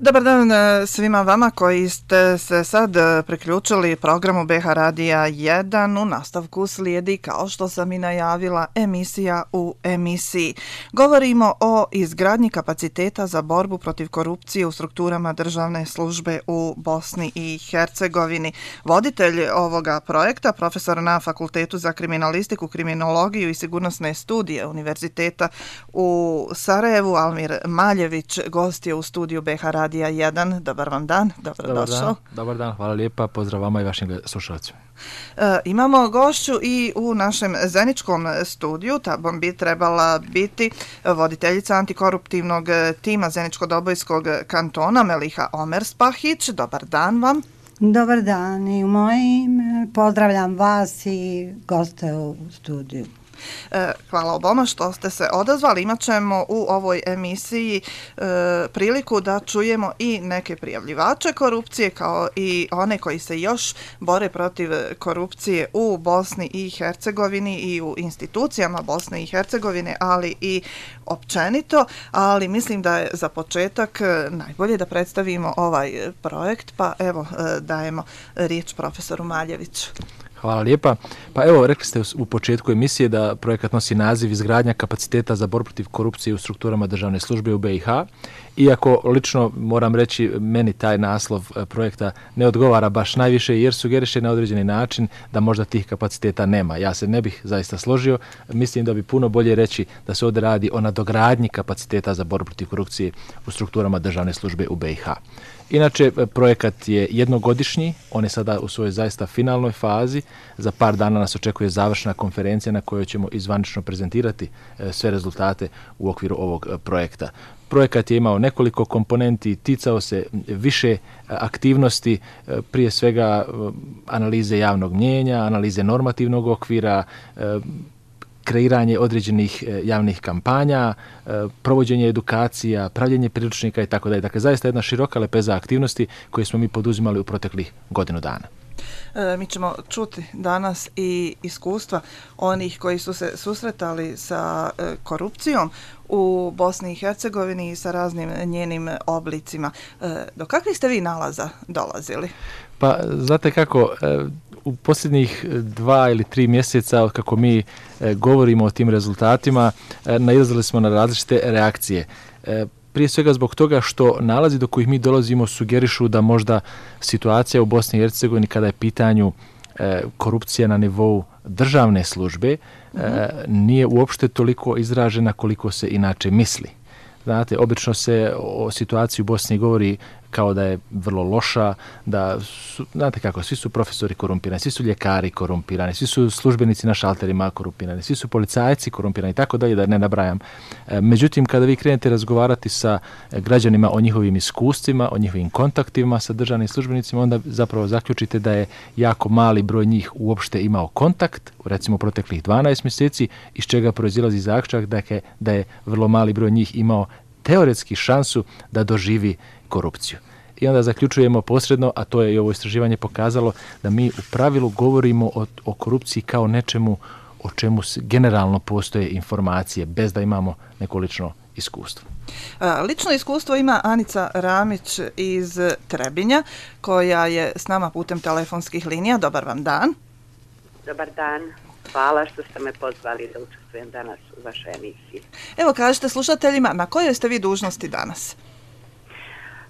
Dobar dan svima vama koji ste se sad priključili programu BH Radija 1. U nastavku slijedi, kao što sam i najavila, emisija u emisiji. Govorimo o izgradnji kapaciteta za borbu protiv korupcije u strukturama državne službe u Bosni i Hercegovini. Voditelj ovoga projekta, profesor na Fakultetu za kriminalistiku, kriminologiju i sigurnosne studije Univerziteta u Sarajevu, Almir Maljević, gost je u studiju BH Radija 1. Dobar vam dan, dobrodošao. Dobar dan, hvala lijepa, pozdrav vama i vašim slušalcima. Imamo gošću i u našem zeničkom studiju, ta bi trebala biti voditeljica antikoruptivnog tima Zeničko-Dobojskog kantona Meliha Omerspahić. Dobar dan vam. Dobar dan i u moje ime pozdravljam vas i goste u studiju. Hvala oboma što ste se odazvali. Imat ćemo u ovoj emisiji priliku da čujemo i neke prijavljivače korupcije, kao i one koji se još bore protiv korupcije u Bosni i Hercegovini i u institucijama Bosne i Hercegovine, ali i općenito. Ali mislim da je za početak najbolje da predstavimo ovaj projekt, pa evo dajemo riječ profesoru Maljeviću. Hvala lijepa. Pa evo, rekli ste u početku emisije da projekat nosi naziv izgradnja kapaciteta za borbu protiv korupcije u strukturama državne službe u BiH. Iako lično moram reći, meni taj naslov projekta ne odgovara baš najviše jer sugeriše na određeni način da možda tih kapaciteta nema. Ja se ne bih zaista složio. Mislim da bi puno bolje reći da se ovdje radi o nadogradnji kapaciteta za borbu protiv korupcije u strukturama državne službe u BiH. Inače, projekat je jednogodišnji, on je sada u svojoj zaista finalnoj fazi. Za par dana nas očekuje završna konferencija na kojoj ćemo izvanično prezentirati sve rezultate u okviru ovog projekta. Projekat je imao nekoliko komponenti, ticao se više aktivnosti, prije svega analize javnog mnijenja, analize normativnog okvira, kreiranje određenih javnih kampanja, provođenje edukacija, pravljenje priručnika itd. Dakle, zaista jedna široka lepeza aktivnosti koje smo mi poduzimali u proteklih godinu dana. Mi ćemo čuti danas i iskustva onih koji su se susretali sa korupcijom u Bosni i Hercegovini i sa raznim njenim oblicima. Do kakvih ste vi nalaza dolazili? Pa, znate kako, u posljednjih 2 ili 3 mjeseca od kako mi govorimo o tim rezultatima, nailazili smo na različite reakcije. Prije svega zbog toga što nalazi do kojih mi dolazimo sugerišu da možda situacija u Bosni i Hercegovini kada je pitanju korupcija na nivou državne službe nije uopšte toliko izražena koliko se inače misli. Znate, obično se o situaciji u Bosni govori kao da je vrlo loša, da su, znate kako, svi su profesori korumpirani, svi su ljekari korumpirani, svi su službenici na šalterima korumpirani, svi su policajci korumpirani i tako dalje, da ne nabrajam. Međutim, kada vi krenete razgovarati sa građanima o njihovim iskustvima, o njihovim kontaktima sa državnim službenicima, onda zapravo zaključite da je jako mali broj njih uopšte imao kontakt, recimo proteklih 12 mjeseci, iz čega proizilazi zaključak da je vrlo mali broj njih imao teoretski šansu da doživi korupciju. I onda zaključujemo posredno, a to je i ovo istraživanje pokazalo, da mi u pravilu govorimo o korupciji kao nečemu o čemu generalno postoje informacije, bez da imamo neko lično iskustvo. Lično iskustvo ima Anica Ramić iz Trebinja, koja je s nama putem telefonskih linija. Dobar vam dan. Dobar dan. Hvala što ste me pozvali da učestvujem danas u vašoj emisiji. Evo, kažete slušateljima, na kojoj ste vi dužnosti danas?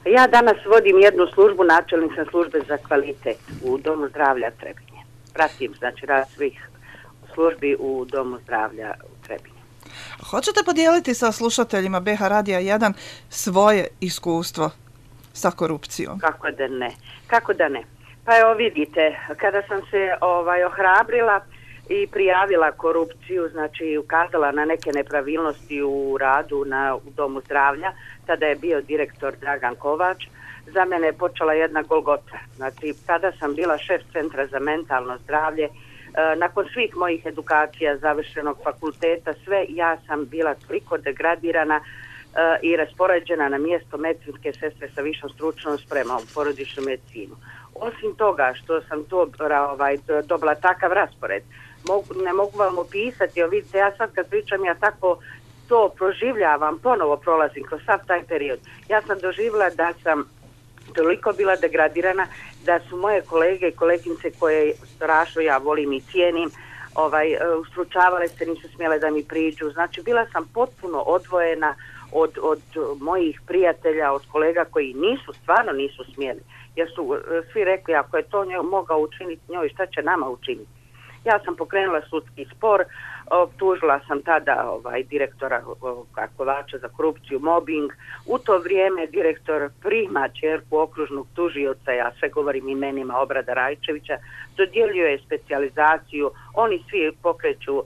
Ja danas vodim jednu službu, načelnik sam službe za kvalitet u Domu zdravlja Trebinje. Pratim, znači, rad svih službi u Domu zdravlja u Trebinje. Hoćete podijeliti sa slušateljima BH Radija 1 svoje iskustvo sa korupcijom? Kako da ne. Pa evo vidite, kada sam se ohrabrila i prijavila korupciju, znači ukazala na neke nepravilnosti u radu u Domu zdravlja, tada je bio direktor Dragan Kovač, za mene je počela jedna golgota. Znači, tada sam bila šef centra za mentalno zdravlje. Nakon svih mojih edukacija, završenog fakulteta, sve, ja sam bila toliko degradirana i raspoređena na mjesto medicinske sestre sa višom stručnom spremom u porodičnu medicinu. Osim toga što sam dobila takav raspored, ne mogu vam opisati, vidite, ja sad kad pričam, ja tako to proživljavam, ponovo prolazim kroz sav taj period. Ja sam doživjela da sam toliko bila degradirana da su moje kolege i koleginice koje strašno ja volim i cijenim, stručavale se, nisu smjele da mi priđu. Znači, bila sam potpuno odvojena od mojih prijatelja, od kolega koji stvarno nisu smjeli. Jer su svi rekli, ako je to mogao učiniti njoj, šta će nama učiniti? Ja sam pokrenula sudski spor, optužila sam tada direktora Kovača za korupciju, mobbing. U to vrijeme direktor prima ćerku okružnog tužioca, ja sve govorim imenima, Obrada Rajčevića, dodjeljuje specijalizaciju, oni svi pokreću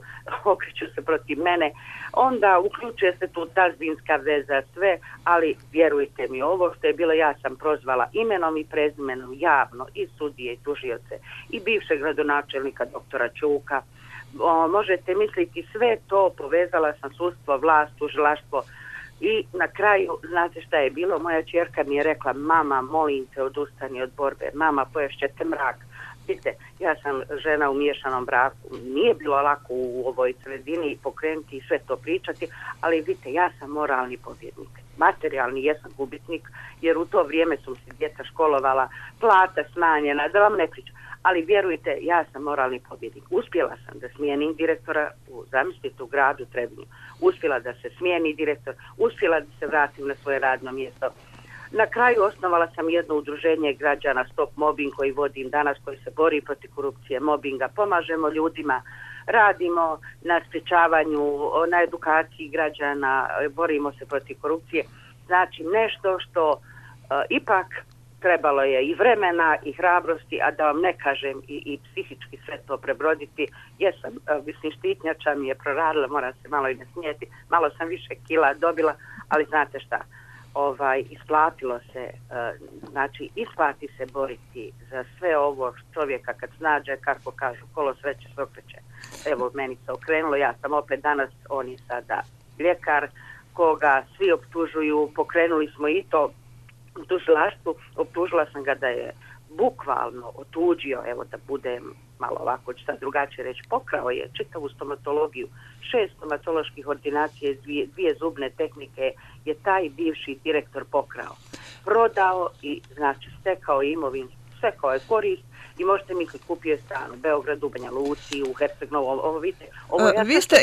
se protiv mene, onda uključuje se tu tazbinska veza, sve, ali vjerujte mi, ovo što je bilo, ja sam prozvala imenom i prezimenom javno i sudije i tužioce i bivšeg gradonačelnika doktora Ćuka. Možete misliti, sve to povezala sam sudstvo, vlast, tužilaštvo i na kraju, znate šta je bilo, moja ćerka mi je rekla, mama, molim te, odustani od borbe, mama, poješćete mrak. Vidite, ja sam žena u miješanom braku, nije bilo lako u ovoj sredini pokrenuti i sve to pričati, ali vidite, ja sam moralni pobjednik. Materijalni jesam gubitnik, jer u to vrijeme su se djeca školovala, plata smanjena, da vam ne pričam. Ali vjerujte, ja sam moralni pobjednik. Uspjela sam da smijenim direktora zamislite u gradu Trebinju. Uspjela da se smijeni direktor, uspjela da se vratim na svoje radno mjesto. Na kraju osnovala sam jedno udruženje građana Stop Mobbing koji vodim danas, koji se bori protiv korupcije, mobbinga. Pomažemo ljudima, radimo na sprječavanju, na edukaciji građana, borimo se protiv korupcije. Znači nešto što ipak trebalo je i vremena i hrabrosti, a da vam ne kažem i psihički sve to prebroditi. Jesam, štitnjača mi je proradila, moram se malo i nasmijeti, malo sam više kila dobila, ali znate šta, isplatilo se, znači isplati se boriti za sve ovo čovjeka kad snađe, kako kažu, kolo sreće se okreće. Evo, meni se okrenulo, ja sam opet danas, on je sada ljekar, koga svi optužuju, pokrenuli smo i to u tužilaštvu, optužila sam ga da je bukvalno otuđio, evo da budem malo ovako, ću sad drugačije reći, pokrao je čitavu stomatologiju, 6 stomatoloških ordinacija iz 2 zubne tehnike je taj bivši direktor pokrao. Prodao i znači stekao imovinsku, stekao je korist i možete misliti, kupio je stan u Beogradu, Banja Luci, u Herceg Novom, ovo vidite, ovo ja vi ste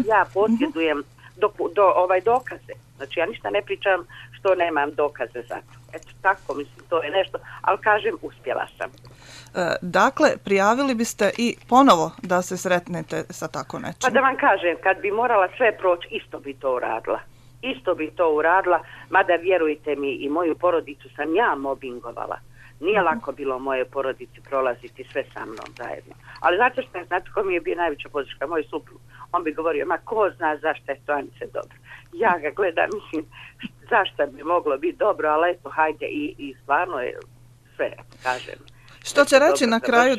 ja posjedujem dokaze. Znači ja ništa ne pričam što nemam dokaze za to. Eto tako, mislim, to je nešto, ali kažem, uspjela sam. Dakle, prijavili biste i ponovo da se sretnete sa tako nečim? Pa da vam kažem, kad bi morala sve proći, isto bi to uradila, mada vjerujte mi, i moju porodicu sam ja mobbingovala. Nije lako bilo moje porodici prolaziti sve sa mnom zajedno. Ali znate ko mi je bio najveća podrška? Moj suprug. On bi govorio, ma ko zna zašto je to Anice dobro. Ja ga gledam, mislim, zašto bi moglo biti dobro, ali eto, hajde i stvarno je sve, kažem. Što će reći na kraju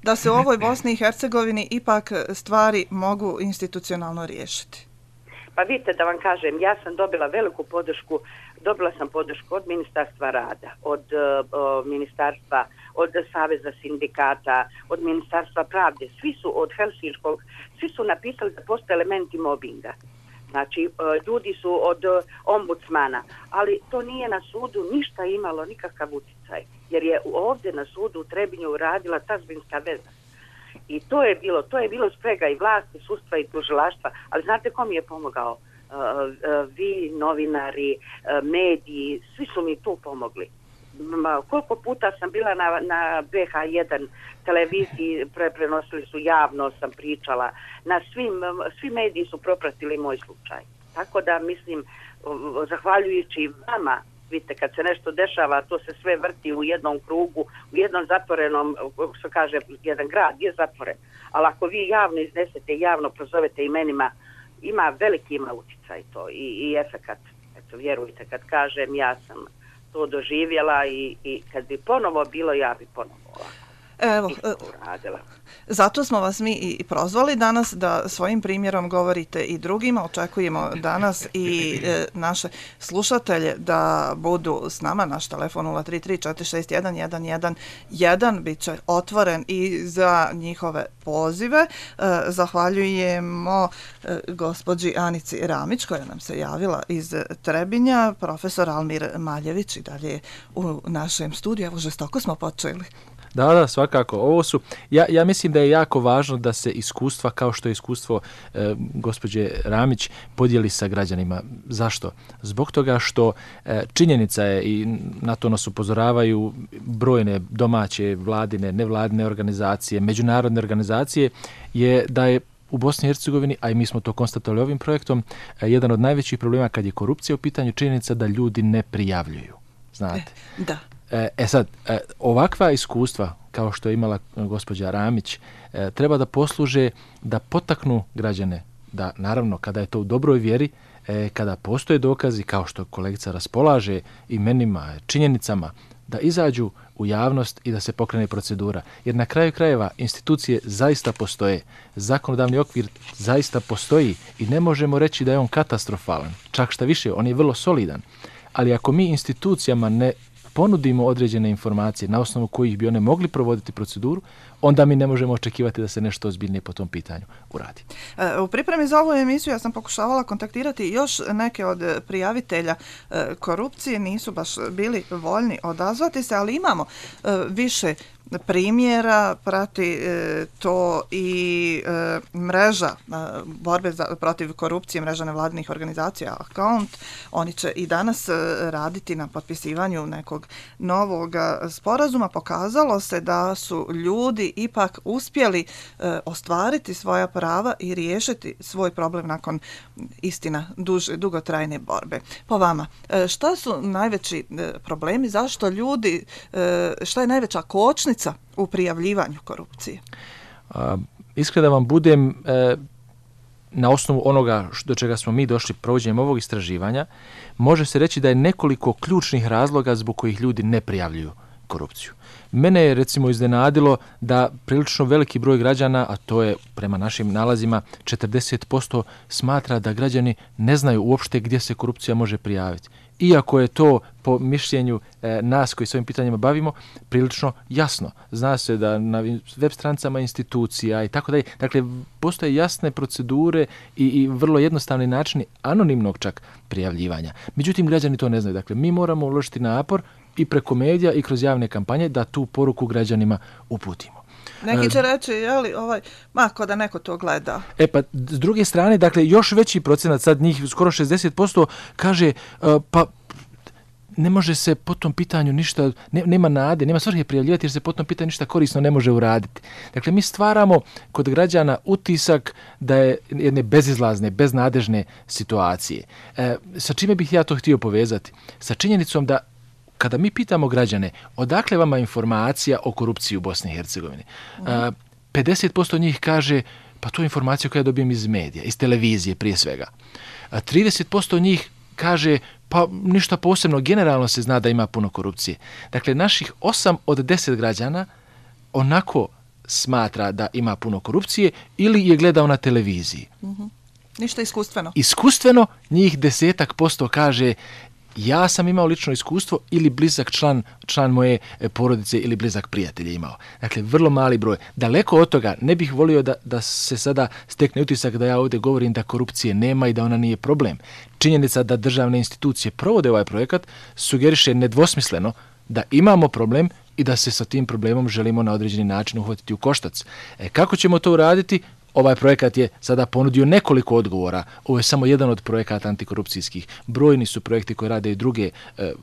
da se u ovoj Bosni i Hercegovini ipak stvari mogu institucionalno riješiti? Pa vidite, da vam kažem, ja sam dobila veliku podršku, dobila sam podršku od Ministarstva rada, od Ministarstva, od Saveza sindikata, od Ministarstva pravde, svi su od Helsinškog, svi su napisali da postoje elementi mobinga. Znači, ljudi su od ombudsmana, ali to nije na sudu ništa imalo, nikakav utjecaj, jer je ovdje na sudu u Trebinju radila tazbinska veza. I to je bilo sprega i vlasti, sudstva i tužilaštva, ali znate ko mi je pomogao? Vi, novinari, mediji, svi su mi tu pomogli. Koliko puta sam bila na BH1 televiziji, prenosili su javno, sam pričala, svi mediji su propratili moj slučaj. Tako da mislim, zahvaljujući vama, vidite, kad se nešto dešava, to se sve vrti u jednom krugu, u jednom zatvorenom, što kaže, jedan grad je zatvoren. Ali ako vi javno iznesete, javno prozovete imenima, veliki ima utjecaj to i efekat. Eto, vjerujte, kad kažem, ja sam to doživjela i kad bi ponovo bilo, ja bi ponovo ovako. Evo, uradila. Zato smo vas mi i prozvali danas da svojim primjerom govorite i drugima. Očekujemo danas i naše slušatelje da budu s nama. Naš telefon 033-461-111 bit će otvoren i za njihove pozive. Zahvaljujemo gospođi Anici Ramić koja nam se javila iz Trebinja. Profesor Almir Maljević i dalje u našem studiju. Evo, žestoko smo počeli. Da, svakako. Ovo su, ja mislim da je jako važno da se iskustva, kao što je iskustvo gospođe Ramić, podijeli sa građanima. Zašto? Zbog toga što činjenica je, i na to nas upozoravaju brojne domaće, vladine, nevladine organizacije, međunarodne organizacije, je da je u Bosni i Hercegovini, a i mi smo to konstatovali ovim projektom, jedan od najvećih problema kad je korupcija u pitanju, činjenica da ljudi ne prijavljuju. Znate? Da. Sad, ovakva iskustva, kao što je imala gospođa Ramić, treba da posluže da potaknu građane, da naravno kada je to u dobroj vjeri, kada postoje dokazi, kao što kolegica raspolaže imenima, činjenicama, da izađu u javnost i da se pokrene procedura. Jer na kraju krajeva institucije zaista postoje, zakonodavni okvir zaista postoji i ne možemo reći da je on katastrofalan. Čak šta više, on je vrlo solidan. Ali ako mi institucijama ne ponudimo određene informacije na osnovu kojih bi one mogli provoditi proceduru, onda mi ne možemo očekivati da se nešto ozbiljnije po tom pitanju uradi. U pripremi za ovu emisiju ja sam pokušavala kontaktirati još neke od prijavitelja korupcije, nisu baš bili voljni odazvati se, ali imamo više primjera, prati to i mreža borbe protiv korupcije, mreža nevladinih organizacija Account. Oni će i danas raditi na potpisivanju nekog novog sporazuma. Pokazalo se da su ljudi ipak uspjeli ostvariti svoja prava i riješiti svoj problem nakon, istina, dugotrajne borbe. Po vama, šta su najveći problemi, zašto ljudi, šta je najveća kočnica u prijavljivanju korupcije? Iskreno da vam budem, na osnovu onoga do čega smo mi došli provođenjem ovog istraživanja, može se reći da je nekoliko ključnih razloga zbog kojih ljudi ne prijavljuju korupciju. Mene je recimo iznenadilo da prilično veliki broj građana, a to je prema našim nalazima 40%, smatra da građani ne znaju uopšte gdje se korupcija može prijaviti. Iako je to po mišljenju nas koji s ovim pitanjima bavimo prilično jasno. Zna se da na web stranicama institucija i tako dalje. Dakle, postoje jasne procedure i vrlo jednostavni načini anonimnog čak prijavljivanja. Međutim, građani to ne znaju. Dakle, mi moramo uložiti napor i preko medija i kroz javne kampanje da tu poruku građanima uputimo. Neki će reći, jeli, ko da neko to gleda. Pa, s druge strane, dakle, još veći procenat, sad njih skoro 60%, kaže, pa ne može se po tom pitanju ništa, nema nade, nema svrhe prijavljivati jer se po tom pitanju ništa korisno ne može uraditi. Dakle, mi stvaramo kod građana utisak da je jedne bezizlazne, beznadežne situacije. Sa čime bih ja to htio povezati? Sa činjenicom da kada mi pitamo građane odakle vama informacija o korupciji u Bosni i Hercegovini, 50% njih kaže pa to je informacija koju ja dobijem iz medija, iz televizije prije svega. 30% njih kaže pa ništa posebno, generalno se zna da ima puno korupcije. Dakle, naših 8 od 10 građana onako smatra da ima puno korupcije ili je gledao na televiziji. Ništa iskustveno. Iskustveno njih 10% kaže ja sam imao lično iskustvo ili blizak član moje porodice ili blizak prijatelj je imao. Dakle, vrlo mali broj. Daleko od toga ne bih volio da se sada stekne utisak da ja ovdje govorim da korupcije nema i da ona nije problem. Činjenica da državne institucije provode ovaj projekat sugeriše nedvosmisleno da imamo problem i da se sa tim problemom želimo na određeni način uhvatiti u koštac. Kako ćemo to uraditi? Ovaj projekat je sada ponudio nekoliko odgovora. Ovo je samo jedan od projekata antikorupcijskih. Brojni su projekti koje rade i druge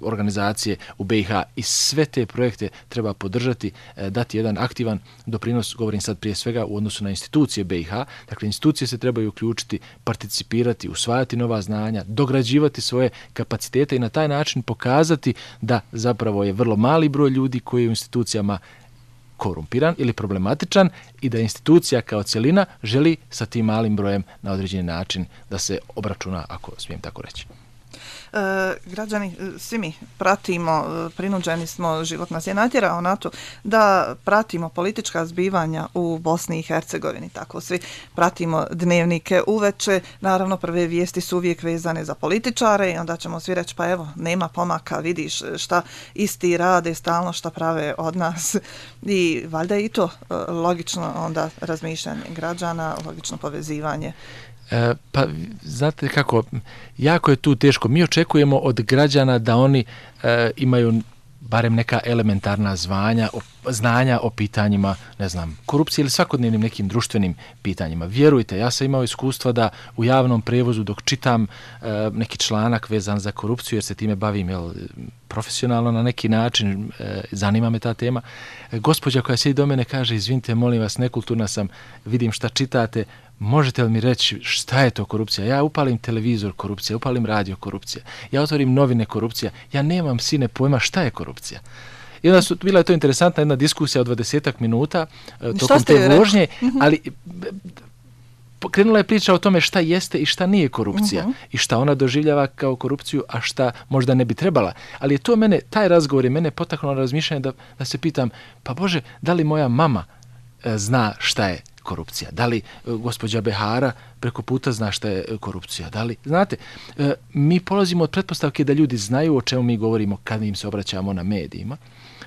organizacije u BiH i sve te projekte treba podržati, dati jedan aktivan doprinos, govorim sad prije svega u odnosu na institucije BiH. Dakle, institucije se trebaju uključiti, participirati, usvajati nova znanja, dograđivati svoje kapacitete i na taj način pokazati da zapravo je vrlo mali broj ljudi koji je u institucijama korumpiran ili problematičan i da institucija kao cjelina želi sa tim malim brojem na određeni način da se obračuna, ako smijem tako reći. Građani, svi mi pratimo, prinuđeni smo, život nas je natjerao na to da pratimo politička zbivanja u Bosni i Hercegovini. Tako svi pratimo dnevnike uveče. Naravno, prve vijesti su uvijek vezane za političare i onda ćemo svi reći pa evo, nema pomaka, vidiš šta isti rade, stalno šta prave od nas. I valjda je i to logično onda razmišljanje građana, logično povezivanje. Pa, znate kako, jako je tu teško. Mi očekujemo od građana da oni imaju barem neka elementarna znanja o pitanjima, ne znam, korupcije ili svakodnevnim nekim društvenim pitanjima. Vjerujte, ja sam imao iskustva da u javnom prevozu dok čitam neki članak vezan za korupciju, jer se time bavim profesionalno na neki način, zanima me ta tema, gospođa koja sjedi do mene kaže, izvinite, molim vas, nekulturna sam, vidim šta čitate, možete li mi reći šta je to korupcija? Ja upalim televizor, korupcija, upalim radio, korupcija, ja otvorim novine, korupcija, ja nemam sine pojma šta je korupcija. I onda bila je to interesantna jedna diskusija od 20 minuta tokom te vožnje, ali krenula je priča o tome šta jeste i šta nije korupcija i šta ona doživljava kao korupciju, a šta možda ne bi trebala. Ali je to taj razgovor je mene potaknuo na razmišljanje da se pitam, pa Bože, da li moja mama zna šta je korupcija? Da li gospođa Behara preko puta zna šta je korupcija? Da li, znate, mi polazimo od pretpostavke da ljudi znaju o čemu mi govorimo kad im se obraćamo na medijima,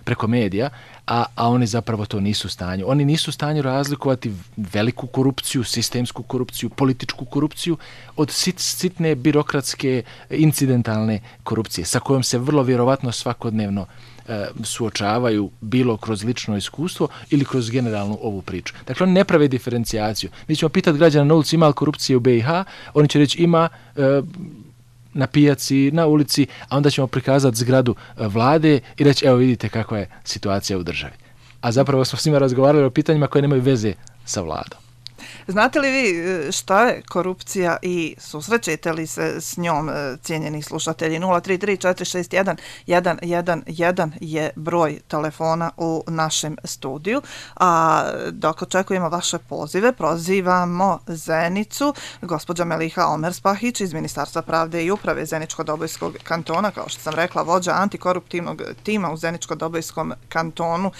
preko medija, a oni zapravo to nisu u stanju. Oni nisu u stanju razlikovati veliku korupciju, sistemsku korupciju, političku korupciju od sitne birokratske, incidentalne korupcije, sa kojom se vrlo vjerovatno svakodnevno suočavaju bilo kroz lično iskustvo ili kroz generalnu ovu priču. Dakle, oni ne prave diferencijaciju. Mi ćemo pitati građana na ulici ima li korupcije u BiH, oni će reći ima na pijaci, na ulici, a onda ćemo prikazati zgradu vlade i reći evo vidite kakva je situacija u državi. A zapravo smo s njima razgovarali o pitanjima koje nemaju veze sa vladom. Znate li vi šta je korupcija i susrećete li se s njom, cijenjeni slušatelji? 033-461-111 je broj telefona u našem studiju, a dok očekujemo vaše pozive, prozivamo Zenicu, gospođa Meliha Omerspahić iz Ministarstva pravde i uprave Zeničko-Dobojskog kantona, kao što sam rekla, vođa antikoruptivnog tima u Zeničko-Dobojskom kantonu.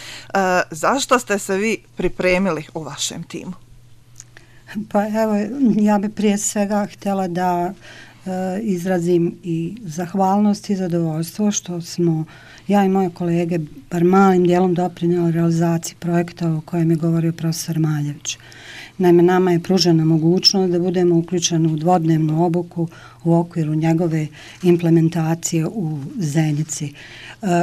Zašto ste se vi pripremili u vašem timu? Pa evo, ja bi prije svega htjela da izrazim i zahvalnost i zadovoljstvo što smo ja i moje kolege bar malim dijelom doprinijeli realizaciji projekta o kojem je govorio profesor Maljević. Naime, nama je pružena mogućnost da budemo uključeni u dvodnevnu obuku u okviru njegove implementacije u Zenici.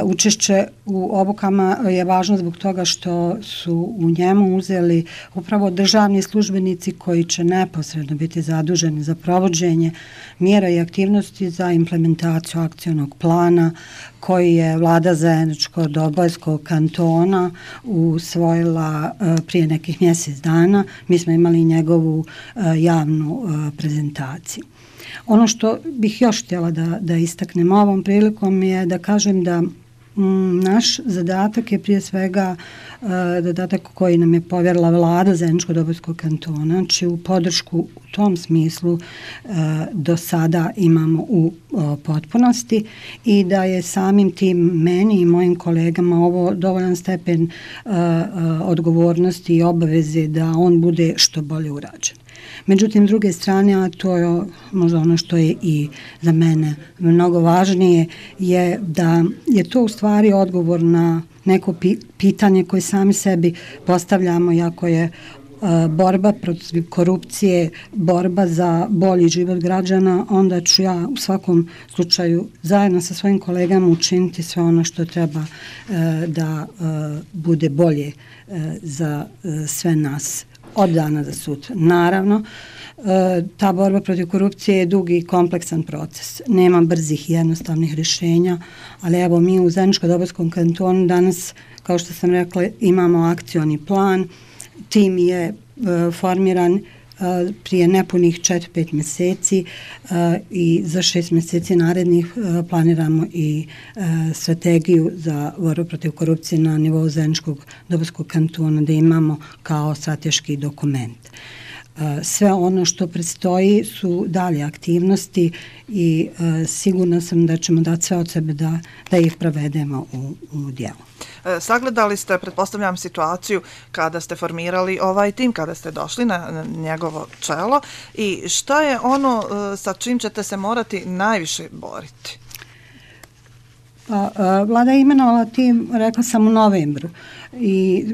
Učešće u obukama je važno zbog toga što su u njemu uzeli upravo državni službenici koji će neposredno biti zaduženi za provođenje mjera i aktivnosti za implementaciju akcionog plana koji je vlada Zeničko-Dobojskog kantona usvojila prije nekih mjesec dana. Mi smo imali njegovu javnu prezentaciju. Ono što bih još htjela da istaknem ovom prilikom je da kažem da naš zadatak je prije svega zadatak koji nam je povjerila vlada Zeničko-Dobojskog kantona, znači u podršku u tom smislu do sada imamo u potpunosti i da je samim tim meni i mojim kolegama ovo dovoljan stepen odgovornosti i obaveze da on bude što bolje urađen. Međutim, s druge strane, a to je možda ono što je i za mene mnogo važnije, je da je to u stvari odgovor na neko pitanje koje sami sebi postavljamo, iako je borba protiv korupcije, borba za bolji život građana, onda ću ja u svakom slučaju zajedno sa svojim kolegama učiniti sve ono što treba da bude bolje za sve nas od dana za sutra. Naravno, ta borba protiv korupcije je dugi i kompleksan proces. Nema brzih i jednostavnih rješenja, ali evo mi u Zeničko-Dobojskom kantonu danas, kao što sam rekla, imamo akcioni plan. Tim je formiran prije nepunih 4-5 mjeseci i za 6 mjeseci narednih planiramo i strategiju za borbu protiv korupcije na nivou Zeničkog Dobojskog kantona da imamo kao strateški dokument. Sve ono što predstoji su dalje aktivnosti i sigurna sam da ćemo dati sve od sebe da ih provedemo u djelo. Sagledali ste, pretpostavljam, situaciju kada ste formirali ovaj tim, kada ste došli na njegovo čelo i šta je ono sa čim ćete se morati najviše boriti? Vlada je imenovala tim, rekla sam, u novembru i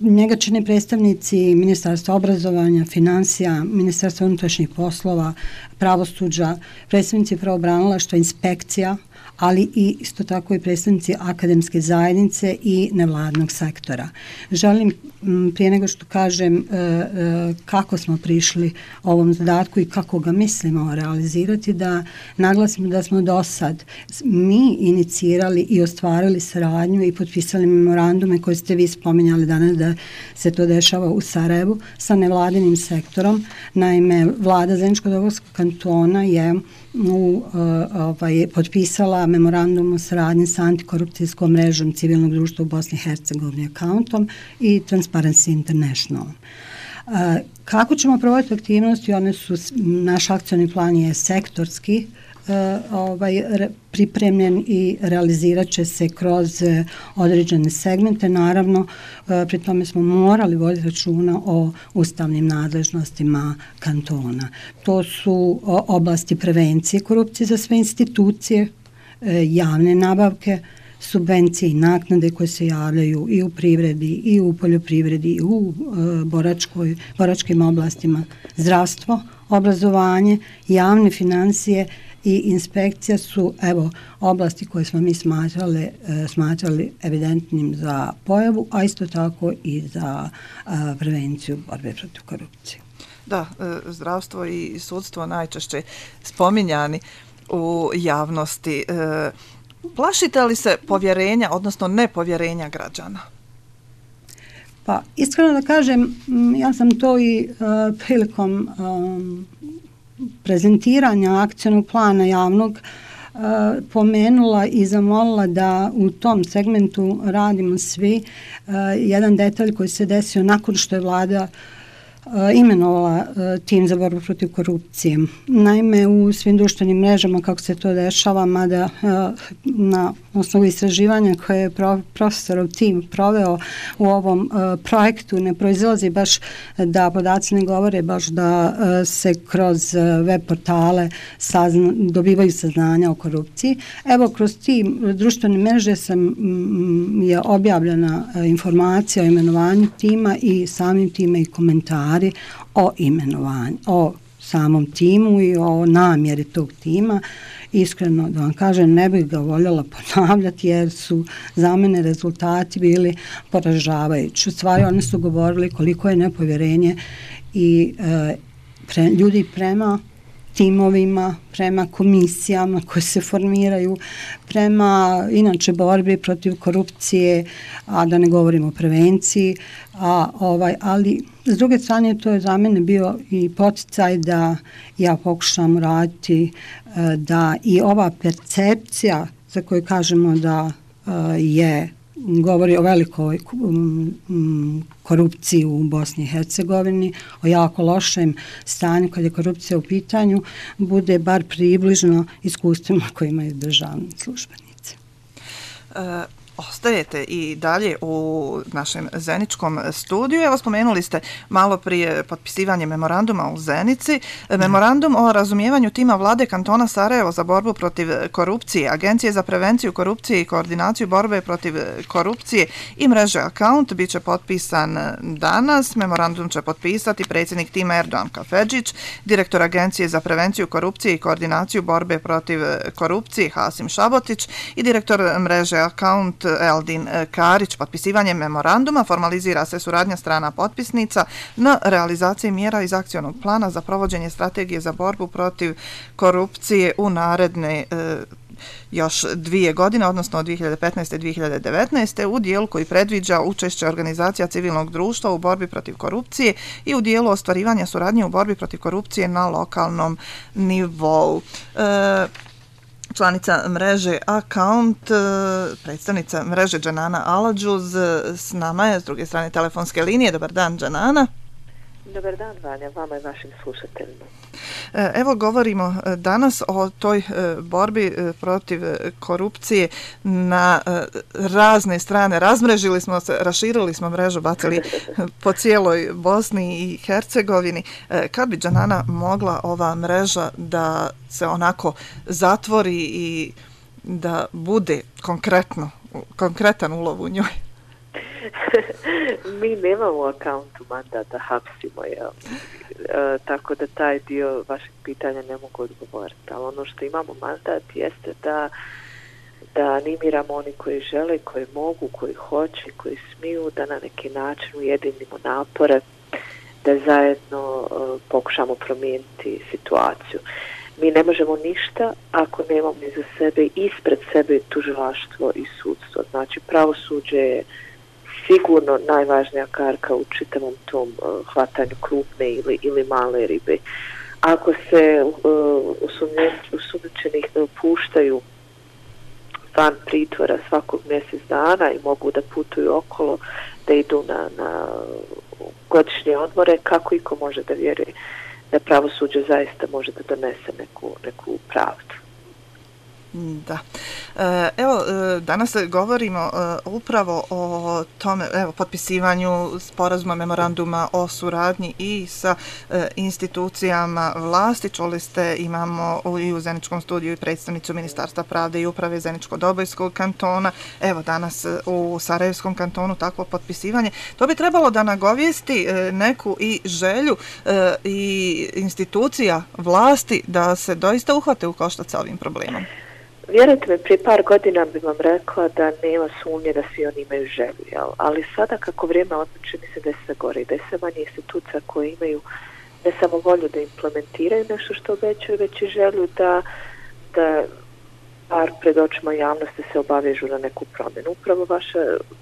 njega čine predstavnici Ministarstva obrazovanja, financija, Ministarstva unutrašnjih poslova, pravosuđa, predstavnici pravobranilaštva, inspekcija, ali i isto tako i predstavnici akademske zajednice i nevladnog sektora. Želim prije nego što kažem kako smo prišli ovom zadatku i kako ga mislimo realizirati, da naglasimo da smo do sad mi inicirali i ostvarili saradnju i potpisali memorandume koje ste vi spominjali danas da se to dešava u Sarajevu sa nevladinim sektorom. Naime, vlada Zeničko-Dobojskog kantona je potpisala memorandum o saradnji sa antikorupcijskom mrežom civilnog društva u Bosni i Hercegovini Accountom i Transparency International. Kako ćemo provoditi aktivnosti? Naš akcioni plan je sektorski pripremljen i realizirat će se kroz određene segmente. Naravno, pri tome smo morali voditi računa o ustavnim nadležnostima kantona. To su oblasti prevencije korupcije za sve institucije, javne nabavke, subvencije i naknade koje se javljaju i u privredi i u poljoprivredi i u boračkim oblastima, zdravstvo, obrazovanje, javne financije i inspekcija su oblasti koje smo mi smatrali evidentnim za pojavu, a isto tako i za prevenciju borbe protiv korupcije. Da, zdravstvo i sudstvo najčešće spominjani u javnosti. Plašite li se povjerenja, odnosno nepovjerenja građana? Pa, iskreno da kažem, ja sam to i prilikom prezentiranja akcionog plana javnog pomenula i zamolila da u tom segmentu radimo svi. Jedan detalj koji se desio nakon što je vlada imenovala tim za borbu protiv korupcije. Naime, u svim društvenim mrežama kako se to dešava, mada na osnovu istraživanja koje je profesorov tim proveo u ovom projektu ne proizilazi baš da podaci ne govore baš da se kroz web portale dobivaju saznanja o korupciji. Evo, kroz tim društvene mreže je objavljena informacija o imenovanju tima i samim time i komentari o imenovanju, o samom timu i o namjeri tog tima. Iskreno da vam kažem, ne bih ga voljela ponavljati jer su za mene rezultati bili poražavajući. U stvari oni su govorili koliko je nepovjerenje i ljudi prema timovima, prema komisijama koje se formiraju, prema inače borbi protiv korupcije, a da ne govorimo o prevenciji, ali s druge strane to je za mene bio i poticaj da ja pokušam raditi da i ova percepcija za koju kažemo da govori o velikoj korupciji u Bosni i Hercegovini, o jako lošem stanju kad je korupcija u pitanju, bude bar približno iskustvima koje imaju državni službenici. Ostajete i dalje u našem Zeničkom studiju. Evo, spomenuli ste malo prije potpisivanje memoranduma u Zenici. Memorandum o razumijevanju tima vlade kantona Sarajevo za borbu protiv korupcije, Agencije za prevenciju korupcije i koordinaciju borbe protiv korupcije i mreže Account bit će potpisan danas. Memorandum će potpisati predsjednik tima Erdoğan Kafedžić, direktor Agencije za prevenciju korupcije i koordinaciju borbe protiv korupcije Hasim Šabotić i direktor mreže Account Eldin Karić. Potpisivanjem memoranduma formalizira se suradnja strana potpisnica na realizaciji mjera iz akcionog plana za provođenje strategije za borbu protiv korupcije u naredne još 2 godine, odnosno od 2015. i 2019. u dijelu koji predviđa učešće organizacija civilnog društva u borbi protiv korupcije i u dijelu ostvarivanja suradnje u borbi protiv korupcije na lokalnom nivou. Članica mreže Account, predstavnica mreže Dženana Aladžuz s nama je s druge strane telefonske linije. Dobar dan, Dženana. Dobar dan, Vanja, vama i vašim slušateljima. Evo govorimo danas o toj borbi protiv korupcije na razne strane. Razmrežili smo se, raširili smo mrežu, bacili po cijeloj Bosni i Hercegovini. Kad bi, Džanana, mogla ova mreža da se onako zatvori i da bude konkretan ulov u njoj? Mi nemamo u akauntu mandat da hapsimo, tako da taj dio vašeg pitanja ne mogu odgovoriti. Ali ono što imamo mandat jeste da animiramo oni koji žele, koji mogu, koji hoće, koji smiju, da na neki način ujedinimo napore, da zajedno pokušamo promijeniti situaciju. Mi ne možemo ništa ako nemamo iza sebe, ispred sebe tužilaštvo i sudstvo. Znači, pravosuđe je sigurno najvažnija karka u čitavom tom hvatanju krupne ili male ribe. Ako se osumnjičenih puštaju van pritvora svakog mjesec dana i mogu da putuju okolo, da idu na godišnje odmore, kako iko može da vjeruje da pravosuđe zaista može da donese neku pravdu? Da. Evo, danas govorimo upravo o tome, evo, potpisivanju sporazuma, memoranduma o suradnji i sa institucijama vlasti. Čuli ste, imamo i u Zeničkom studiju i predstavnicu Ministarstva pravde i uprave Zeničko-Dobojskog kantona. Evo, danas u Sarajevskom kantonu takvo potpisivanje. To bi trebalo da nagovijesti neku i želju i institucija vlasti da se doista uhvate u koštac sa ovim problemom. Vjerujte me, prije par godina bi vam rekla da nema sumnje da svi oni imaju želju, ali sada kako vrijeme odmiče, mislim da je sve gore i da je sve manje institucija koje imaju ne samo volju da implementiraju nešto što obećaju, već i želju da par pred očima javnosti se obavežu na neku promjenu. Upravo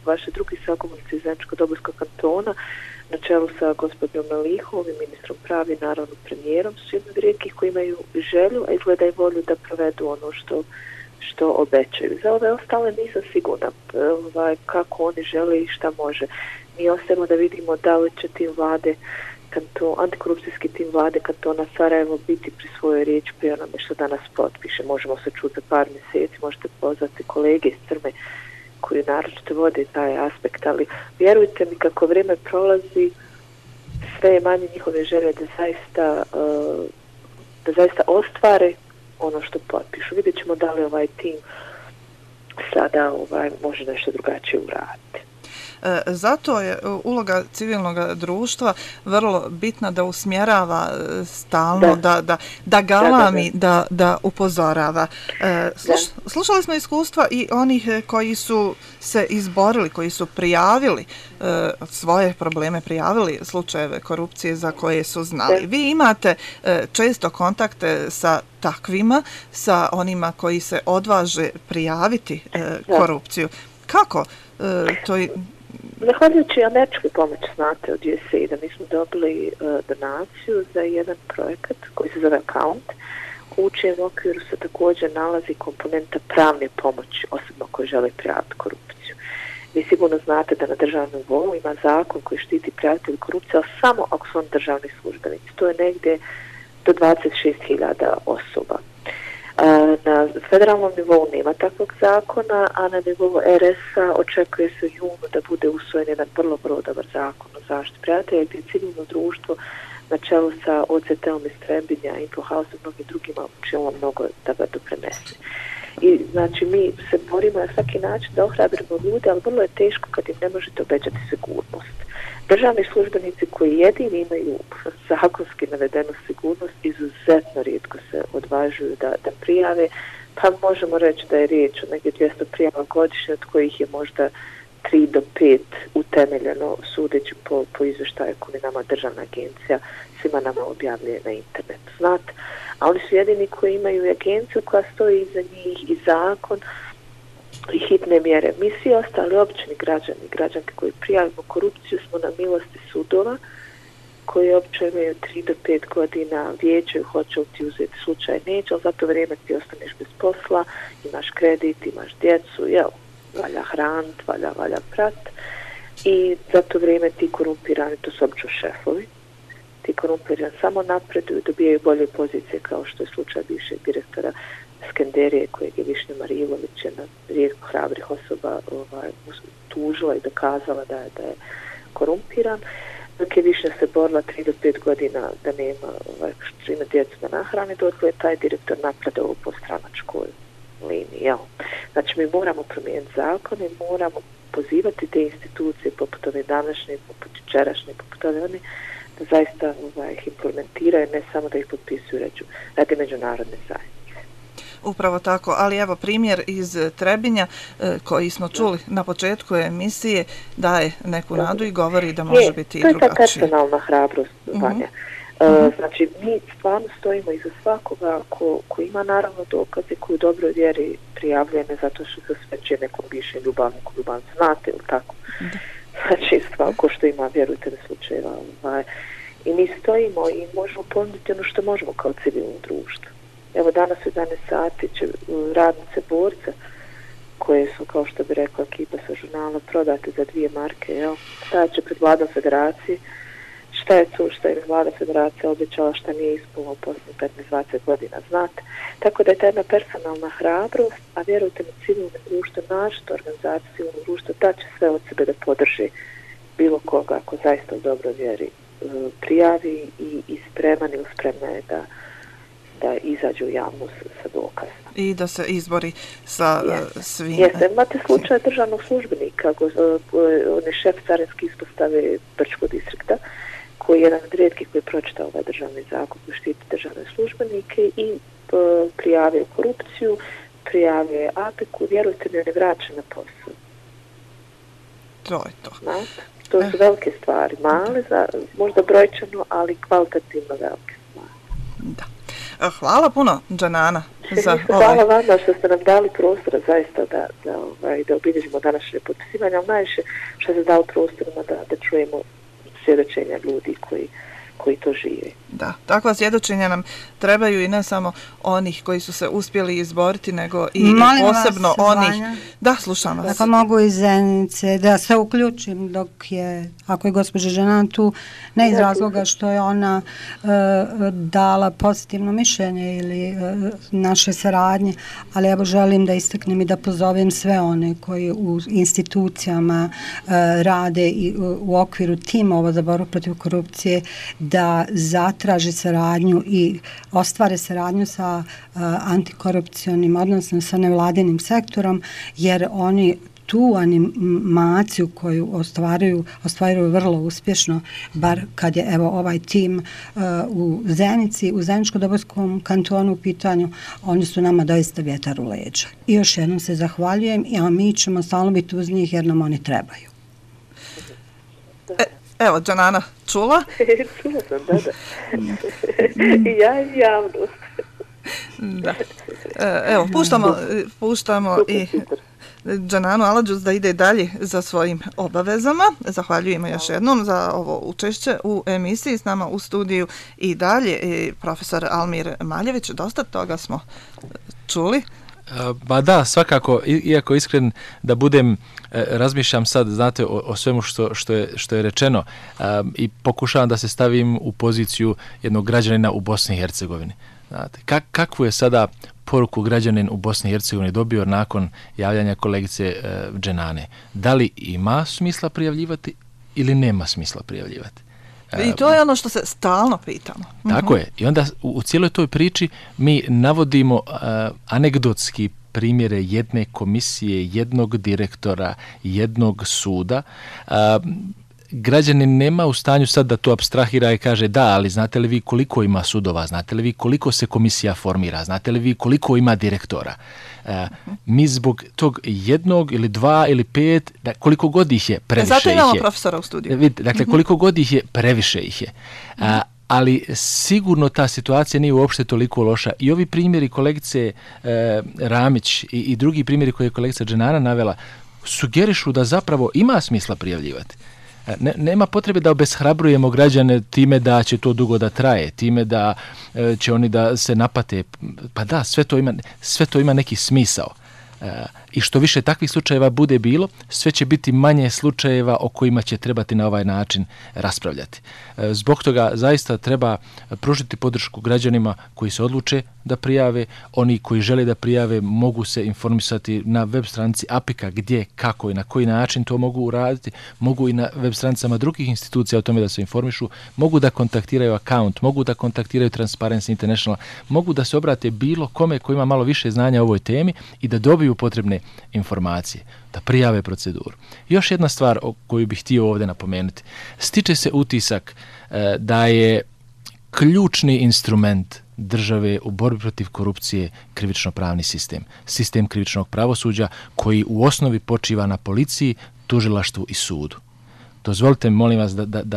vaše drugi sagovornici iz Zeničko-Dobojskog kantona na čelu sa gospodinom Melihovom i ministrom pravi i naravno premijerom su jedni od rijetkih koji imaju želju, a izgleda i volju da provedu ono što obećaju. Za ove ostale nisam sigurna kako oni žele i šta može. Mi ostajemo da vidimo da li će tim vlade, antikorupcijski tim vlade kantona Sarajevo biti pri svojoj riječi pri onome što danas potpiše. Možemo se čuti za par mjeseci, možete pozvati kolege iz Crme koji naročito vode taj aspekt, ali vjerujte mi kako vrijeme prolazi, sve je manje njihove želje da zaista ostvare ono što potpišu. Vidjet ćemo da li ovaj tim sada može nešto drugačije uraditi. Zato je uloga civilnog društva vrlo bitna, da usmjerava stalno, da galami, da upozorava. Slušali smo iskustva i onih koji su se izborili, koji su prijavili svoje probleme, prijavili slučajeve korupcije za koje su znali. Vi imate često kontakte sa takvima, sa onima koji se odvaže prijaviti korupciju. Kako to je? Zahvaljujući američkoj pomoći, znate, od USAID-a mi smo dobili donaciju za jedan projekat koji se zove Account, u čijem okviru se također nalazi komponenta pravne pomoći osobno koji žele prijaviti korupciju. Vi sigurno znate da na državnom nivou ima zakon koji štiti prijavitelj korupcije, ali samo ako su oni državni službenici. To je negdje do 26.000 osoba. Na federalnom nivou nema takvog zakona, a na nivou RS-a očekuje se u junu da bude usvojen jedan vrlo dobar zakon o zaštiti prijatelja, gdje civilno društvo na čelu sa OCT-om iz Trebinja, Info House i mnogim drugima učinilo mnogo da ga doprinese. I znači mi se borimo na svaki način da ohrabrimo ljude, ali vrlo je teško kad im ne možete obećati sigurnost. Državni službenici koji jedini imaju zakonski navedenu sigurnost izuzetno rijetko se odvažuju da prijave, pa možemo reći da je riječ o negdje 200 prijava godišnje, od kojih je možda 3 do 5 utemeljeno, sudeći po izvještaju koji nama državna agencija svima nama objavljuje na internetu. Znate, a oni su jedini koji imaju agenciju koja stoji iza njih i zakon i hitne mjere. Mi svi ostali obični građani i građanke koji prijavimo korupciju smo na milosti sudova koji obično imaju 3 do 5 godina, vijećaju hoće li ti uzeti slučaj, neće, ali za to vrijeme ti ostaneš bez posla, imaš kredit, imaš djecu, valja hranit, valja prat i za to vrijeme ti korumpirani, to su obično šefovi, ti korumpirani samo napreduju, dobijaju bolje pozicije, kao što je slučaj bivšeg direktora Skenderije, kojeg je Višnja Marilović, jedna rijetko hrabrih osoba tužila i dokazala da je korumpiran. Dok je Višnja se borila 3 do 5 godina da nema što ima djecu da nahrani, dotle je taj direktor napredovao po stranačkoj liniji. Jel? Znači mi moramo promijeniti zakone, moramo pozivati te institucije poput ove današnje, poput jučerašnje, poput ove one, da zaista ih implementiraju, ne samo da ih potpisuju radi međunarodne zajednice. Upravo tako, ali evo primjer iz Trebinja koji smo čuli na početku emisije daje neku nadu i govori da može biti i drugačije. To je ta personalna hrabrost, Vanja. Znači, mi stvarno stojimo iza svakoga ko ima naravno dokaze, koji u dobroj vjeri prijavljuje, ne zato što se osvećuje nekom bivšem ljubavniku, znate ili tako. Znači, svako što ima, vjerujte na slučajeva. I mi stojimo i možemo ponuditi ono što možemo kao civilno društvo. Evo danas u 11 sati će radnice Borca, koje su, kao što bi rekla ekipa sa žurnala, prodate za 2 marke, stajat će pred vladom federacije. Šta je to što je vlada federacija obećala, šta nije ispunila u posljednjih 15-20 godina, znate. Tako da je ta jedna personalna hrabrost, a vjerujte mi, civilno društvo, našto organizacija civilno društvo, da će sve od sebe da podrži bilo koga ako zaista u dobroj vjeri prijavi i spreman ili spremna je da izađu u javnost sa dokazima. I da se izbori sa svim. Jeste, imate slučaj državnog službenika, on je šef carinske ispostave Brčkog distrikta, koji je jedan od rijetkih koji je pročitao ovaj državni zakon koji štiti državne službenike i prijavio korupciju, prijavio APEK-u, vjerujte mi, on je vraćen na posao. To je to. To su velike stvari, male, možda brojčano, ali kvalitativno velike stvari. Da. Hvala puno, Džanana. Hvala vama što ste nam dali prostora zaista da obilježimo današnje potpisivanje, ali najviše što ste dali prostorima da čujemo svjedočenja ljudi koji to žive. Da, takva svjedočenja nam trebaju i ne samo onih koji su se uspjeli izboriti, nego i posebno onih... Vanja. Da, slušam vas. Ako mogu iz Zenice, da se uključim ako je gospođa Džanana tu, ne iz razloga što je ona dala pozitivno mišljenje ili naše saradnje, ali evo želim da istaknem i da pozovem sve one koji u institucijama rade i u okviru timova za borbu protiv korupcije da zatraže saradnju i ostvare saradnju sa antikorupcionim, odnosno sa nevladinim sektorom, jer oni tu animaciju koju ostvaruju vrlo uspješno, bar kad je evo ovaj tim u Zenici, u Zeničko-Dobojskom kantonu u pitanju, oni su nama doista vjetar u leđa. I još jednom se zahvaljujem, a mi ćemo stalno biti uz njih jer nam oni trebaju. Evo, Džanana, čula? Čula sam, da. I ja i javnost. Da. Evo, puštamo i Džananu Aladžuz da ide dalje za svojim obavezama. Zahvaljujemo još jednom za ovo učešće u emisiji. S nama u studiju i dalje profesor Almir Maljević. Dosta toga smo čuli. Ba da, svakako, iako iskren da budem, razmišljam sad, znate, o svemu što je rečeno i pokušavam da se stavim u poziciju jednog građanina u Bosni i Hercegovini. Znate, kakvu je sada poruku građanin u Bosni i Hercegovini dobio nakon javljanja kolegice Dženane? Da li ima smisla prijavljivati ili nema smisla prijavljivati? I to je ono što se stalno pitamo. Tako je. I onda u cijeloj toj priči mi navodimo anegdotski primjere jedne komisije, jednog direktora, jednog suda. Građanin nema u stanju sad da to apstrahira i kaže da, ali znate li vi koliko ima sudova, znate li vi koliko se komisija formira, znate li vi koliko ima direktora. Mi zbog tog jednog ili 2 ili 5, koliko god ih je, previše ih je. Zato imamo profesora u studiju. Dakle, koliko god ih je, previše ih je. Ali sigurno ta situacija nije uopšte toliko loša. I ovi primjeri kolegice Ramić i drugi primjeri koje je kolegica Dženana navela sugerišu da zapravo ima smisla prijavljivati. Nema potrebe da obeshrabrujemo građane time da će to dugo da traje, time da će oni da se napate. Pa da, sve to ima neki smisao. I što više takvih slučajeva bude bilo, sve će biti manje slučajeva o kojima će trebati na ovaj način raspravljati. Zbog toga zaista treba pružiti podršku građanima koji se odluče da prijave. Oni koji žele da prijave mogu se informisati na web stranici APIK-a gdje, kako i na koji način to mogu uraditi. Mogu i na web stranicama drugih institucija o tome da se informišu. Mogu da kontaktiraju account, mogu da kontaktiraju Transparency International, mogu da se obrate bilo kome koji ima malo više znanja o ovoj temi i da dobiju potrebne informacije, da prijave proceduru. Još jedna stvar o koju bih htio ovdje napomenuti. Stiče se utisak da je ključni instrument države u borbi protiv korupcije krivično-pravni sistem. Sistem krivičnog pravosuđa koji u osnovi počiva na policiji, tužilaštvu i sudu. Dozvolite mi, molim vas,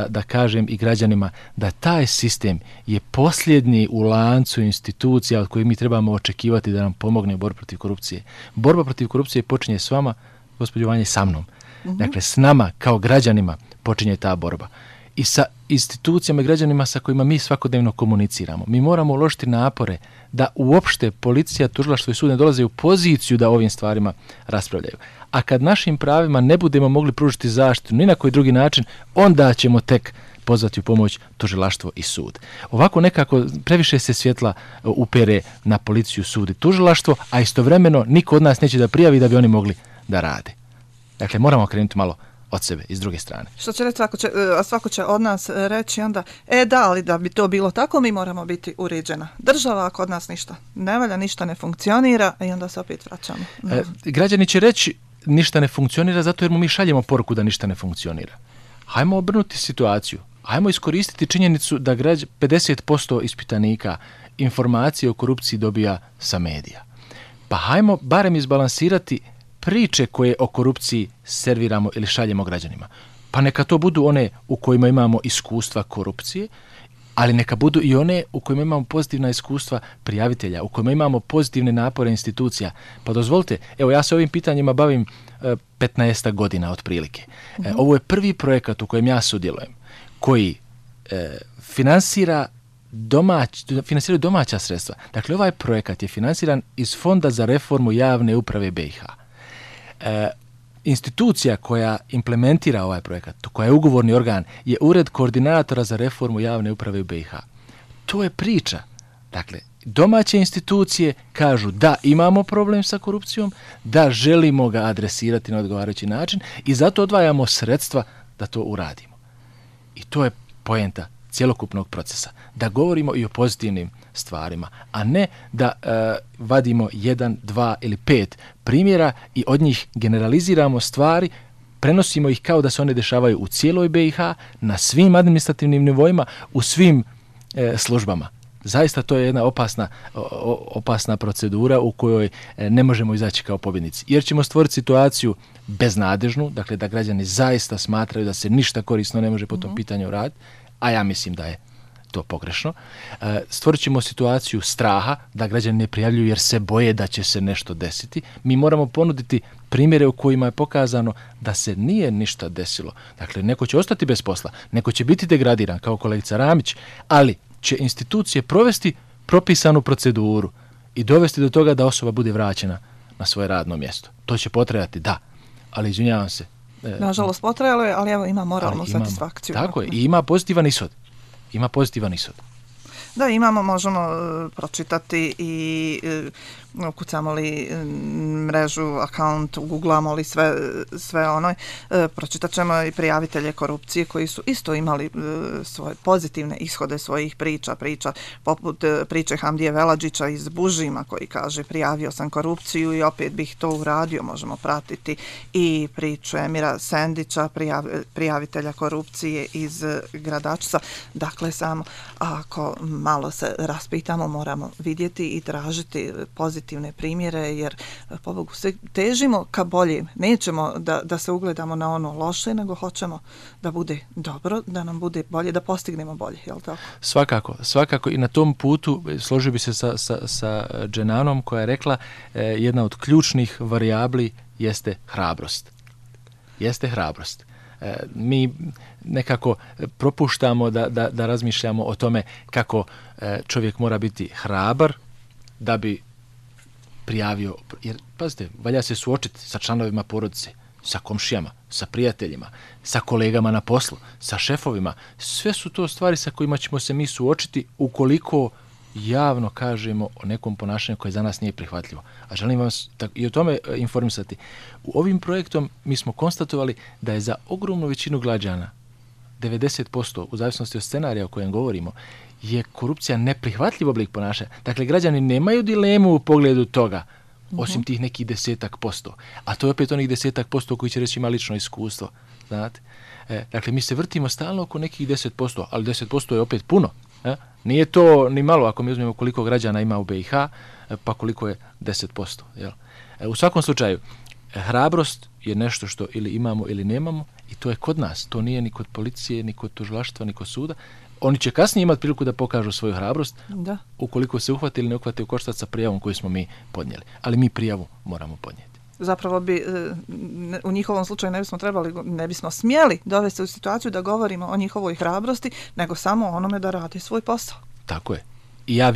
da kažem i građanima da taj sistem je posljednji u lancu institucija od kojih mi trebamo očekivati da nam pomogne u borbi protiv korupcije. Borba protiv korupcije počinje s vama, gospođo Vanja, sa mnom. Dakle, s nama kao građanima počinje ta borba. I sa institucijama i građanima sa kojima mi svakodnevno komuniciramo. Mi moramo uložiti napore da uopšte policija, tužilaštvo i sud ne dolaze u poziciju da ovim stvarima raspravljaju. A kad našim pravima ne budemo mogli pružiti zaštitu ni na koji drugi način, onda ćemo tek pozvati u pomoć tužilaštvo i sud. Ovako nekako previše se svjetla upere na policiju, sud i tužilaštvo, a istovremeno niko od nas neće da prijavi da bi oni mogli da rade. Dakle, moramo krenuti malo od sebe i s druge strane. Što će reći, svako će od nas reći onda, da, ali da bi to bilo tako, mi moramo biti uređena država, ako od nas ništa ne valja, ništa ne funkcionira, i onda se opet vraćamo. Građani će reći ništa ne funkcionira zato jer mu mi šaljemo poruku da ništa ne funkcionira. Hajmo obrnuti situaciju. Hajmo iskoristiti činjenicu da 50% ispitanika informacije o korupciji dobija sa medija. Pa hajmo barem izbalansirati priče koje o korupciji serviramo ili šaljemo građanima. Pa neka to budu one u kojima imamo iskustva korupcije, ali neka budu i one u kojima imamo pozitivna iskustva prijavitelja, u kojima imamo pozitivne napore institucija. Pa dozvolite, evo ja se ovim pitanjima bavim 15 godina otprilike. Ovo je prvi projekat u kojem ja sudjelujem, koji finansiraju domaća sredstva. Dakle, ovaj projekat je finansiran iz Fonda za reformu javne uprave BiH. Institucija koja implementira ovaj projekat, koja je ugovorni organ, je Ured koordinatora za reformu javne uprave u BiH. To je priča. Dakle, domaće institucije kažu da imamo problem sa korupcijom, da želimo ga adresirati na odgovarajući način i zato odvajamo sredstva da to uradimo. I to je poenta cjelokupnog procesa. Da govorimo i o pozitivnim stvarima, a ne da vadimo 1, 2 ili 5 primjera i od njih generaliziramo stvari, prenosimo ih kao da se one dešavaju u cijeloj BiH, na svim administrativnim nivoima, u svim službama. Zaista to je jedna opasna procedura u kojoj ne možemo izaći kao pobjednici. Jer ćemo stvoriti situaciju beznadežnu, dakle da građani zaista smatraju da se ništa korisno ne može po tom pitanju raditi, a ja mislim da je to pogrešno. Stvorit ćemo situaciju straha, da građani ne prijavljuju jer se boje da će se nešto desiti. Mi moramo ponuditi primjere u kojima je pokazano da se nije ništa desilo. Dakle, neko će ostati bez posla, neko će biti degradiran, kao kolegica Ramić, ali će institucije provesti propisanu proceduru i dovesti do toga da osoba bude vraćena na svoje radno mjesto. To će potrajati, da, ali izvinjavam se. Nažalost, potrajalo je, ali evo ima moralnu satisfakciju. Tako je, i ima pozitivan ishod. Da, možemo pročitati i ukucamo li mrežu, akaunt, googlamo li sve ono, pročitat ćemo i prijavitelje korupcije koji su isto imali svoje pozitivne ishode svojih priča poput priče Hamdije Veladžića iz Bužima koji kaže prijavio sam korupciju i opet bih to uradio. Možemo pratiti i priču Emira Sendića, prijavitelja korupcije iz Gradačca. Dakle, samo ako malo se raspitamo, moramo vidjeti i tražiti pozitivne primjere, jer pobogu sve težimo ka bolje. Nećemo da se ugledamo na ono loše, nego hoćemo da bude dobro, da nam bude bolje, da postignemo bolje, je li tako? Svakako i na tom putu složio bi se sa Dženanom koja je rekla jedna od ključnih varijabli jeste hrabrost. Mi nekako propuštamo da razmišljamo o tome kako čovjek mora biti hrabar da bi prijavio, jer pazite, valja se suočiti sa članovima porodice, sa komšijama, sa prijateljima, sa kolegama na poslu, sa šefovima. Sve su to stvari sa kojima ćemo se mi suočiti ukoliko javno kažemo o nekom ponašanju koje za nas nije prihvatljivo. A želim vas i o tome informisati. U ovim projektom mi smo konstatovali da je za ogromnu većinu građana, 90%, u zavisnosti od scenarija o kojem govorimo, je korupcija neprihvatljiv oblik ponašanja. Dakle, građani nemaju dilemu u pogledu toga, osim tih nekih 10%. A to je opet onih 10% koji će reći ima lično iskustvo. Znate? Dakle, mi se vrtimo stalno oko nekih 10%, ali 10% je opet puno. Nije to ni malo ako mi uzmemo koliko građana ima u BiH, pa koliko je 10%. Jel? U svakom slučaju, hrabrost je nešto što ili imamo ili nemamo i to je kod nas. To nije ni kod policije, ni kod tužilaštva, ni kod suda. Oni će kasnije imati priliku da pokažu svoju hrabrost ukoliko se uhvati ili ne uhvati u koštac sa prijavom koju smo mi podnijeli. Ali mi prijavu moramo podnijeti. Zapravo bi u njihovom slučaju ne bismo smjeli dovesti u situaciju da govorimo o njihovoj hrabrosti, nego samo o onome da radi svoj posao. Tako je. I ja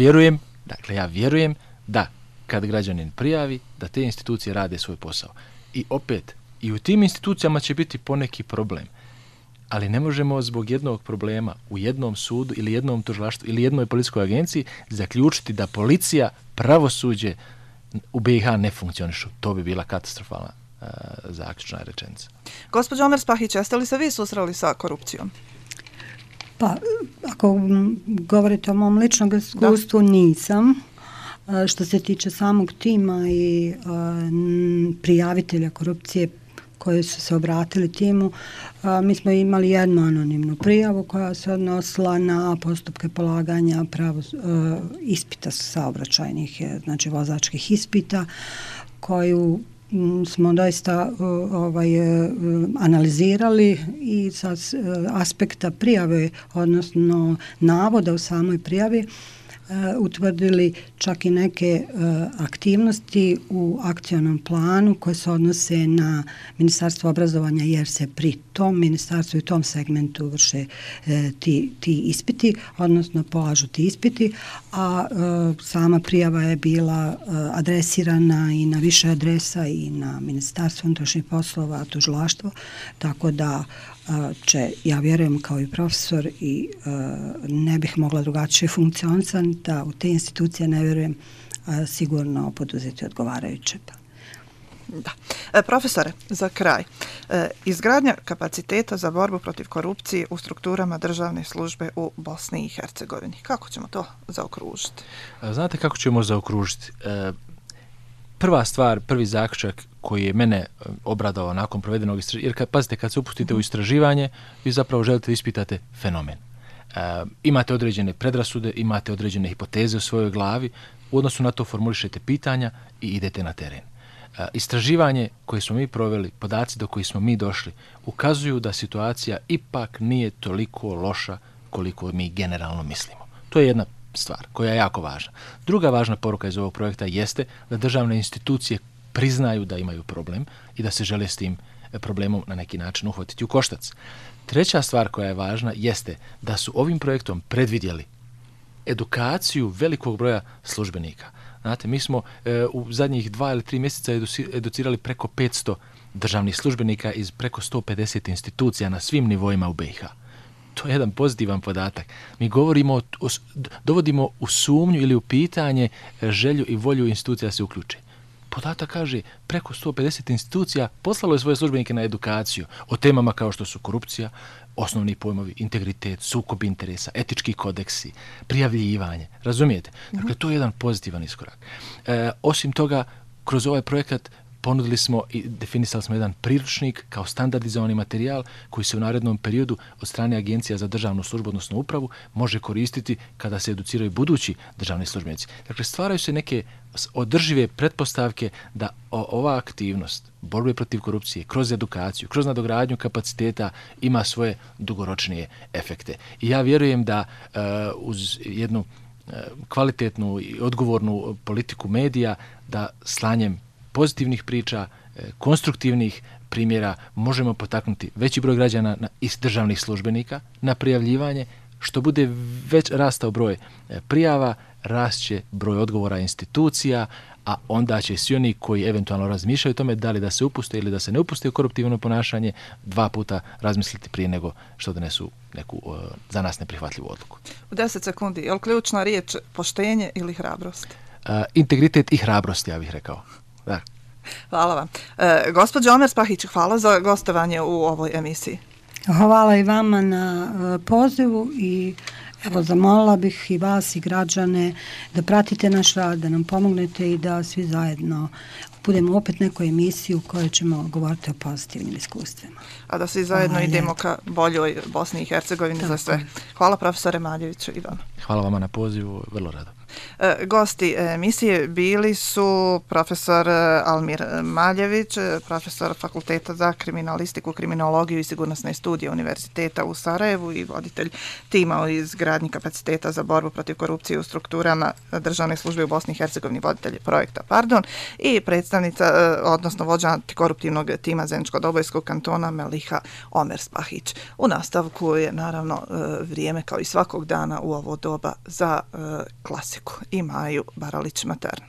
vjerujem da kad građanin prijavi, da te institucije rade svoj posao. I opet, i u tim institucijama će biti poneki problem. Ali ne možemo zbog jednog problema u jednom sudu ili jednom tužilaštvu ili jednoj policijskoj agenciji zaključiti da policija, pravosuđe u BiH ne funkcionišu. To bi bila katastrofalna zaključna rečenica. Gospođo Omer Spahić, jeste li se vi susreli sa korupcijom? Pa, ako govorite o mom ličnom iskustvu, nisam. Što se tiče samog tima i prijavitelja korupcije koji su se obratili timu, mi smo imali jednu anonimnu prijavu koja se odnosila na postupke polaganja ispita saobraćajnih, znači vozačkih ispita, koju smo doista analizirali i sa aspekta prijave, odnosno navoda u samoj prijavi, utvrdili čak i neke aktivnosti u akcionom planu koje se odnose na Ministarstvo obrazovanja, jer se pri tom ministarstvu i tom segmentu vrše ti ispiti, odnosno polažu ti ispiti, a sama prijava je bila adresirana i na više adresa i na Ministarstvo unutrašnjih poslova, tužilaštvo, tako da ja vjerujem kao i profesor i ne bih mogla drugačije funkcionisati, da u te institucije ne vjerujem sigurno poduzeti odgovarajuće. Da. Profesore, za kraj, izgradnja kapaciteta za borbu protiv korupcije u strukturama državne službe u Bosni i Hercegovini. Kako ćemo to zaokružiti? Znate kako ćemo zaokružiti? Prva stvar, prvi zaključak koji je mene obradao nakon provedenog istraživanja, jer pazite, kad se upustite u istraživanje, vi zapravo želite da ispitate fenomen. Imate određene predrasude, imate određene hipoteze u svojoj glavi, u odnosu na to formulišete pitanja i idete na teren. Istraživanje koje smo mi proveli, podaci do kojih smo mi došli, ukazuju da situacija ipak nije toliko loša koliko mi generalno mislimo. To je jedna stvar koja je jako važna. Druga važna poruka iz ovog projekta jeste da državne institucije priznaju da imaju problem i da se žele s tim problemom na neki način uhvatiti u koštac. Treća stvar koja je važna jeste da su ovim projektom predvidjeli edukaciju velikog broja službenika. Znate, mi smo u zadnjih 2 ili 3 mjeseca educirali preko 500 državnih službenika iz preko 150 institucija na svim nivoima u BiH. To je jedan pozitivan podatak. Mi dovodimo u sumnju ili u pitanje želju i volju institucija da se uključe. Podatak kaže preko 150 institucija poslalo je svoje službenike na edukaciju o temama kao što su korupcija, osnovni pojmovi, integritet, sukob interesa, etički kodeksi, prijavljivanje. Razumijete? Dakle, to je jedan pozitivan iskorak. Osim toga, kroz ovaj projekat ponudili smo i definisali smo jedan priručnik kao standardizovani materijal koji se u narednom periodu od strane Agencija za državnu službu, odnosno upravu, može koristiti kada se educiraju budući državni službenici. Dakle, stvaraju se neke održive pretpostavke da ova aktivnost borbe protiv korupcije kroz edukaciju, kroz nadogradnju kapaciteta ima svoje dugoročnije efekte. I ja vjerujem da uz jednu kvalitetnu i odgovornu politiku medija, da slanjem pozitivnih priča, konstruktivnih primjera možemo potaknuti veći broj građana iz državnih službenika na prijavljivanje. Što bude već rastao broj prijava, rašće broj odgovora institucija, a onda će svi oni koji eventualno razmišljaju o tome da li da se upuste ili da se ne upuste u koruptivno ponašanje 2 puta razmisliti prije nego što donesu neku za nas neprihvatljivu odluku. U 10 sekundi, je li ključna riječ poštenje ili hrabrost? Integritet i hrabrost, ja bih rekao. Da. Hvala vam. Gospođo Omer Spahić, hvala za gostovanje u ovoj emisiji. Hvala i vama na pozivu i evo zamolila bih i vas i građane da pratite naš rad, da nam pomognete i da svi zajedno budemo opet nekoj emisiji u kojoj ćemo govoriti o pozitivnim iskustvima. A da svi zajedno idemo ka boljoj Bosni i Hercegovini za sve. Hvala profesore Maljeviću i vama. Hvala vama na pozivu, vrlo rado. Gosti emisije bili su profesor Almir Maljević, profesor Fakulteta za kriminalistiku, kriminologiju i sigurnosne studije Univerziteta u Sarajevu i voditelj tima o izgradnji kapaciteta za borbu protiv korupcije u strukturama državne službe u Bosni i Hercegovini, voditelj projekta, i predstavnica, odnosno vođa antikoruptivnog tima Zeničko-Dobojskog kantona Meliha Omer Spahić. U nastavku je naravno vrijeme kao i svakog dana u ovo doba za klasiku i Maju Baralić Matern.